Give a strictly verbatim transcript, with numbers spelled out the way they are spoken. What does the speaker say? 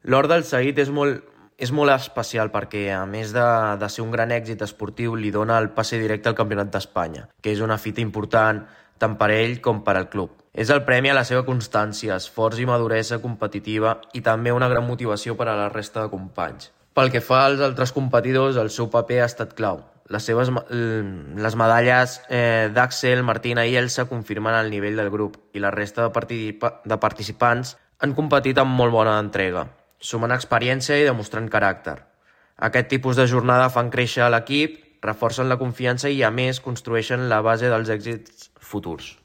L'or del Saïd és molt, és molt especial perquè, a més de, de ser un gran èxit esportiu, li dona el passe directe al Campionat d'Espanya, que és una fita important tant per ell com per al club. És el premi a la seva constància, esforç i maduresa competitiva i també una gran motivació per a la resta de companys. Pel que fa als altres competidors, el seu paper ha estat clau. Les seves les medalles eh, d'Àxel, Martina i Elsa confirmen el nivell del grup i la resta de, participa de participants han competit amb molt bona entrega, sumant experiència i demostrant caràcter. Aquest tipus de jornada fan créixer l'equip, reforcen la confiança i, a més, construeixen la base dels èxits futurs.